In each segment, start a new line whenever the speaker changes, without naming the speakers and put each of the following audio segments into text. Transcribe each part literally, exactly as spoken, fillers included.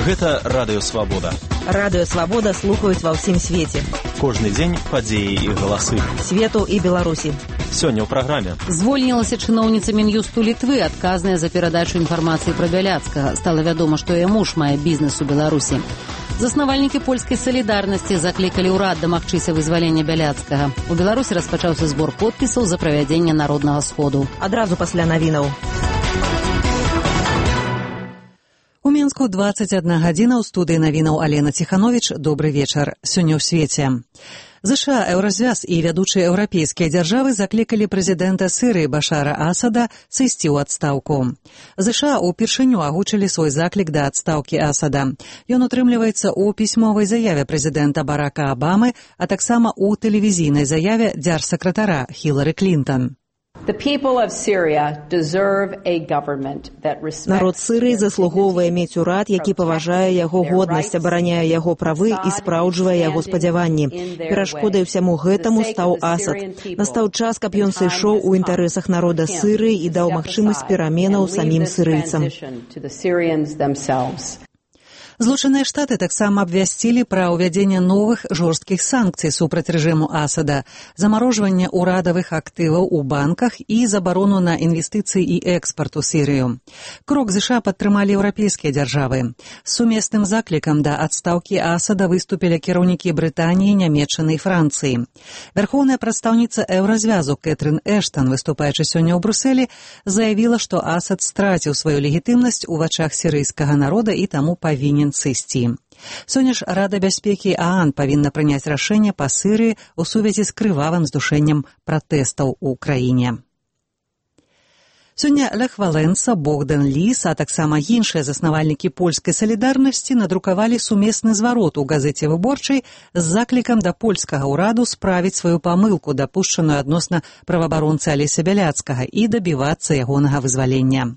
Гэта Радыё Свабода.
Радыё Свабода слухаюць ва ўсім свеце.
Кожны дзень падзеі і галасы.
Свету і Беларусі.
Сёння ў праграме.
Звольнілася чыноўніца Мін'юсту Літвы, адказная за перадачу інфармацыі пра Бяляцкага. Стала вядома, што яе муж мае бізнес у Беларусі. Заснавальнікі польскай салідарнасці заклікалі ўрад дамагчыся вызвалення Бяляцкага. У Беларусі распачаўся збор подпісаў за правядзенне народнага сходу.
Адразу пасля навінаў.
У Мінску дваццаць адна гадзіна, ў студыі навінаў Алена Ціхановіч. Добры вечар. Сёння ў свеце. ЗША, Еўразвяз і вядучыя еўрапейскія дзяржавы заклікалі прэзідэнта Сірыі Башара Асада сысці ў адстаўку. ЗША ўпершыню агучылі свой заклік да адстаўкі Асада. Ён утрымліваецца ў пісьмовай заяве прэзідэнта Барака Абамы, а таксама ў тэлевізійнай заяве дзяржсакратара Хілары Клінтон.
Народ Сірыі заслугоўвае мець урад, які паважае яго годнасць, абараняе яго правы і спраўджвае яго спадзяванні. Перашкодай усяму гэтаму стаў Асад. Настаў час, каб ён сышоў у інтарэсах народа Сірыі і даў магчымасць пераменаў самім сірыйцам.
Злучаныя Штаты таксама абвясцілі пра ўвядзенне новых жорсткіх санкцый супраць рэжыму Асада, замарожванне ўрадавых актываў у банках і забарону на інвестыцыі і экспарт у Сірыю. Крок ЗША падтрымалі еўрапейскія дзяржавы. З сумесным заклікам да адстаўкі Асада выступілі кіраўнікі Брытаніі, Нямецчыны і Францыі. Вярхоўная прадстаўніца Еўразвязу Кэтрын Эштан, выступаючы сёння ў Брусэлі, заявіла, што Асад страціў сваю легітымнасць у вачах сірыйскага народа і таму павінен сысці. Сёння ж Рада бяспекі ААН павінна прыняць рашэнне па Сірыі ў сувязі з крывавым здушэннем пратэстаў у краіне. Сёння Лех Валенса, Богдан Ліс, а таксама іншыя заснавальнікі польскай салідарнасці надрукавалі сумесны зварот у газеце «Выборчай» з заклікам да польскага ўраду справіць сваю памылку, дапушчаную адносна праваабаронцы Алеся Бяляцкага, і дабівацца ягонага вызвалення.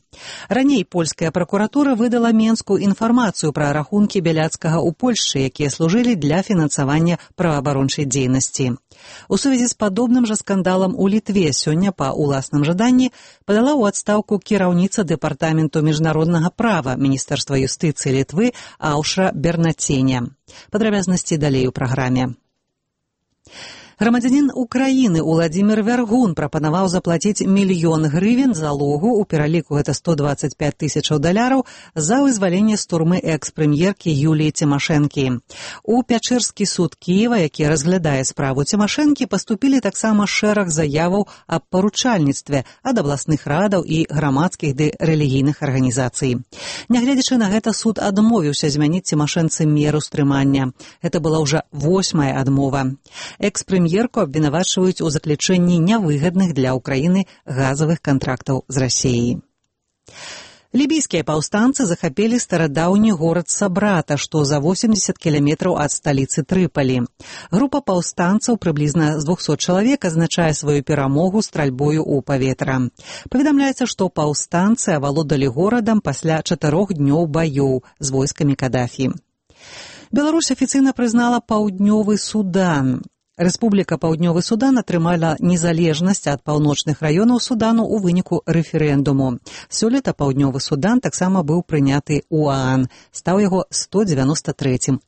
Раней польская пракуратура выдала Менску інфармацыю пра рахункі Бяляцкага ў Польшчы, якія служылі для фінансавання праваабарончай дзейнасці. У сувязі з падобным жа скандалам у Літве сёння па ўласным жаданні падала ў адстаўку кіраўніца дэпартаменту міжнароднага права Міністэрства юстыцыі Літвы Аўшра Бернаценя. Падрабязнасці далей у праграме. Грамадзянін Украіны Уладзімір Вяргун прапанаваў заплаціць мільён грывен залогу, у пераліку гэта сто дваццаць пяць тысячаў даляраў, за вызваленне з турмы экс-прэм'еркі Юліі Цімашэнкі. У Пячэрскі суд Кіева, які разглядае справу Цімашэнкі, паступілі таксама шэраг заяваў аб паручальніцтве ад абласных радаў і грамадскіх ды рэлігійных арганізацый. Нягледзячы на гэта, суд адмовіўся змяніць Цімашэнцы меру стрымання. Гэта была ўжо восьмая адмова. Экс-прэм'ер Прем'ерку абвінавачваюць у заключэнні нявыгадных для Ўкраіны газавых кантрактаў з Расіяй. Лібійскія паўстанцы захапілі старадаўні горад Сабрата, што за восемьдесят кіламетраў ад сталіцы Трыпалі. Група паўстанцаў, прыблізна з двухсот чалавек, азначае сваю перамогу стральбою ў паветра. Паведамляецца, што паўстанцы авалодалі горадам пасля чатырох днёў баёў з войскамі Кадафі. Беларусь афіцыйна прызнала Паўднёвы Судан. Рэспубліка Паўднёвы Судан атрымала незалежнасць ад паўночных раёнаў Судану ў выніку рэферэндуму. Сёлета Паўднёвы Судан таксама быў прыняты ў ААН, стаў яго сто дзевяноста трэцім